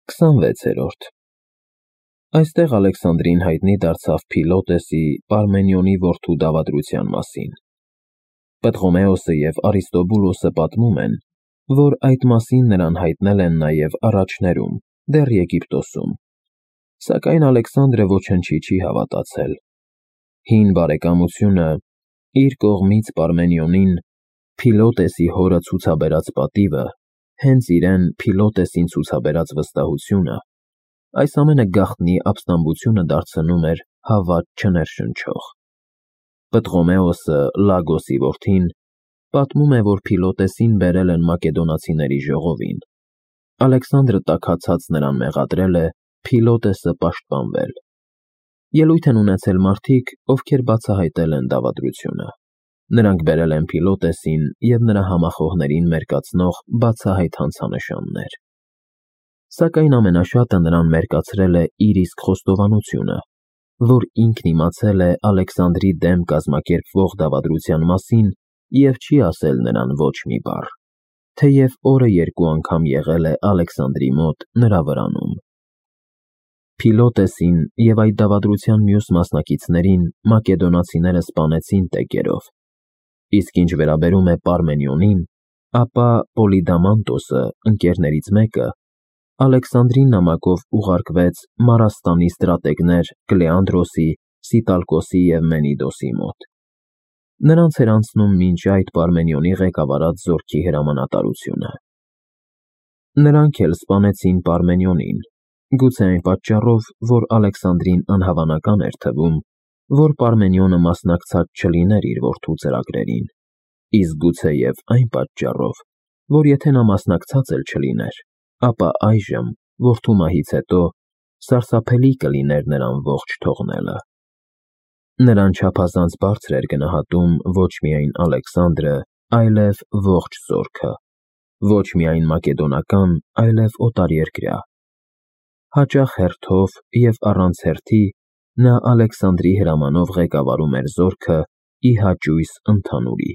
26-րդ Այստեղ Ալեքսանդրին հայտնի դարձավ Փիլոտեսի Պարմենիոնի որդու դավադրության մասին։ Պտղոմեոսը և Արիստոբուլոսը պատմում են, որ այդ մասին նրան հայտնել են նաև առաջներում, դեռ Եգիպտոսում, սակայն Ալեքսանդրը ոչնչի չի հավատացել։ Հին բարեկամությունը իր կողմից Պարմենիոնին Փիլոտեսի հորը ցուցաբերած պատիվը, հենց իրեն Փիլոտեսին ցուցաբերած վստահությունը, այս ամենը գաղտնի ապստամբությունը դարձնում էր հավատ չներշնչող։ Պտղոմեոսը, Լագոսի որդին, պատմում է, որ Փիլոտեսին բերել են մակեդոնացիների ժողովին։ Ալեքսանդրը տաքացած նրան մեղադրել է Փիլոտեսը պաշտպանվել։ Ելույթ են ունեցել մարդիկ, ովքեր բացահայտել են դավադրությունը։ Նրանք բերել են Փիլոտեսին և նրա համախոհներին մերկացնող բացահայտ հանցանշաններ։ Սակայն ամենաշատը նրան մերկացրել է իր իսկ խոստովանությունը, որ ինքն իմացել է Ալեքսանդրի դեմ կազմակերպվող դավադրության մասին և չի ասել նրան ոչ մի բառ, թեև օրը երկու անգամ եղել է Ալեքսանդրի մոտ նրա վրանում։ Փիլոտեսին և այդ դավադրության մյուս մասնակիցներին մակեդոնացիները սպանեցին տեկերով, իսկ ինչ վերաբերում է Պարմենիոնին, ապա Պոլիդամանտոսը, ընկերներից մեկը, Ալեքսանդրի նամակով ուղարկվեց Մարաստանի ստրատեգներ Կլեանդրոսի, Սիտալկոսի և Մենիդոսի մոտ։ Նրանց էր անցնում մինչ այդ Պարմենիոնի ղեկավարած զորքի հրամանատարությունը։ Նրանք էլ սպանեցին Պարմենիոնին, գուցե այն պատճառով, որ Ալեքսանդրին անհավանական էր թվում, որ Պարմենիոնը մասնակցած չլիներ իր որդու ծրագրերին, իսկ գուցեև այն պատճառով, որ եթե նա մասնակցած էլ չլիներ, ապա այժմ, որդու մահից հետո, սարսափելի կլիներ նրան ողջ թողնելը։ Նրան չափազանց բարձր էր գնահատում ոչ միայն Ալեքսանդրը, այլև ողջ զորքը, ոչ միայն մակեդոնական, այլև օտարերկրյա։ Հաճախ հերթով և առանց հերթի նա Ալեքսանդրի հրամանով ղեկավարում էր զորքը ի հաճույս ընդհանուրի։